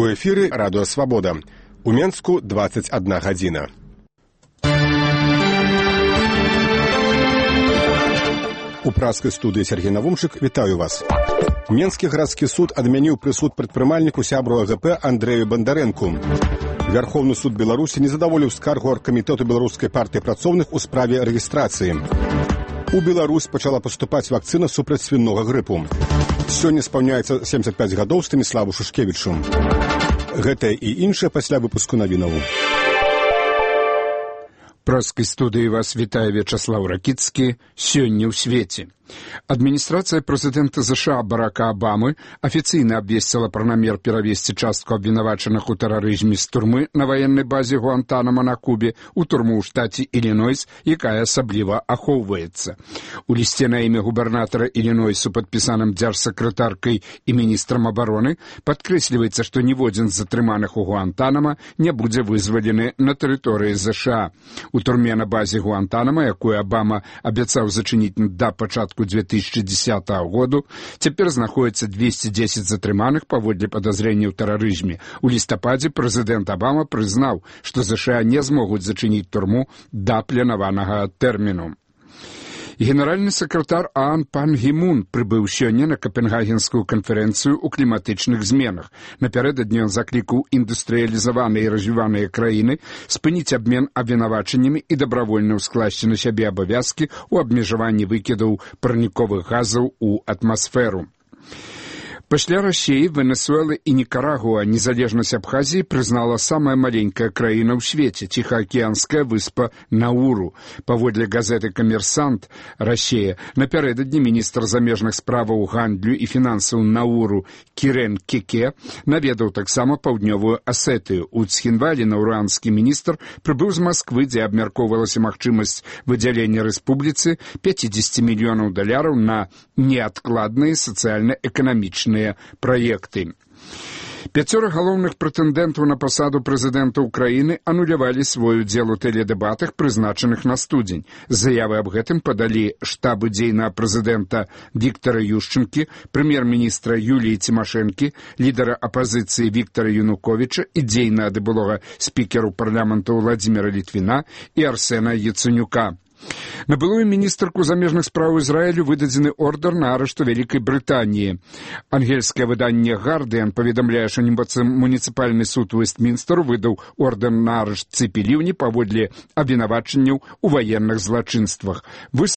У эфіры Радыё Свабода. У Менску 21 гадзіна. У праскай студыі Сергей Навумчык вітаю вас. Менскі гарадскі суд адмяніў прысуд прадпрымальніку сябру АГП Андрэю Бандарэнку. Вярхоўны суд Беларусі не задаволіў скаргу аргкамітэту беларускай партыі працоўных у справе рэгістрацыі. У Беларусь пачала паступаць вакцына супраць свінога грыпу. Сёння спаўняецца 75 гадоў Станіславу Шушкевічу. Гэтае і іншае пасля выпуску навінаў. Праскай студыі вас вітае Вячаслаў Ракіцкі. Сёння ў свеце. Адміністрацыя прэзідэнта США Барака Абамы афіцыйна абвесціла пра намер перавесці частку абвінавачаных у тэрарызме з турмы на ваеннай базе Гуантанамо на Кубе ў турму ў штаце Ілінойс, якая асабліва ахоўваецца. У лісце на імя губернатара Ілінойсу, падпісаным дзяржсакратаркай і міністрам абароны, падкрэсліваецца, што ніводзін з затрыманых у Гуантанамо не будзе вызвалены на тэрыторыі США. У турме на базе Гуантанамо, якую Абама абяцаў зачыніць да пачатку 2010 году, цяпер знаходзіцца 210 затрыманых паводле падазрэння ў тэрарызме. У лістападзе прэзідэнт Абама прызнаў, што США не змогуць зачыніць турму да планаванага тэрміну. Генеральны сакратар ААН Пан Гі Мун прыбыў сёння на Капенгагенскую канферэнцыю ў кліматычных зменах. Напярэдадні ён заклікаў індустрыялізаваныя і развіваныя краіны спыніць абмен абвінавачаннямі і дабравольна ўскласці на сябе абавязкі ў абмежаванні выкідаў парніковых газаў у атмасферу. Пасля Расіі, Венесуэлы і Нікарагуа незалежнасць Абхазіі прызнала самая маленькая краіна ў свеце, ціхаакіянская выспа Науру. Паводле газеты «Камерсант» Расія, напярэдадні міністр замежных справаў, гандлю і фінансаў Науру Кірен Кеке наведаў таксама паўднёвую Асетыю. У Цхінвалі наўранскі міністр прыбыў з Масквы, дзе абмяркоўвалася магчымасць выдзялення рэспубліцы $50 мільёнаў на неадкладныя сацыяльна-эканамічныя праекты. 5 галоўных прэтэндэнтаў на пасаду прэзідэнта ўкраіны анулявалі свой удзел у тэледэбатах, прызначаных на студзень. Заявы аб гэтым падалі штабы дзейнага прэзідэнта Віктара Юшчэнкі, прэм'ер-міністра Юліі Цімашэнкі, лідара апазіцыі Віктара Януковіча і дзейнага былога спікеру парламенту Владзіміра Літвіна і Арсена Яцэнюка. На былую міністрку замежных спраў Ізраілю выдадзены ордар на арышт у Вялікай Брытаніі. Ангельскае выданне «Гардыан» паведамляе, што муніцыпальны суд Вестмінстер выдаў ордар на арышт Цыпі Ліўні паводле абвінавачанняў у ваенных злачынствах.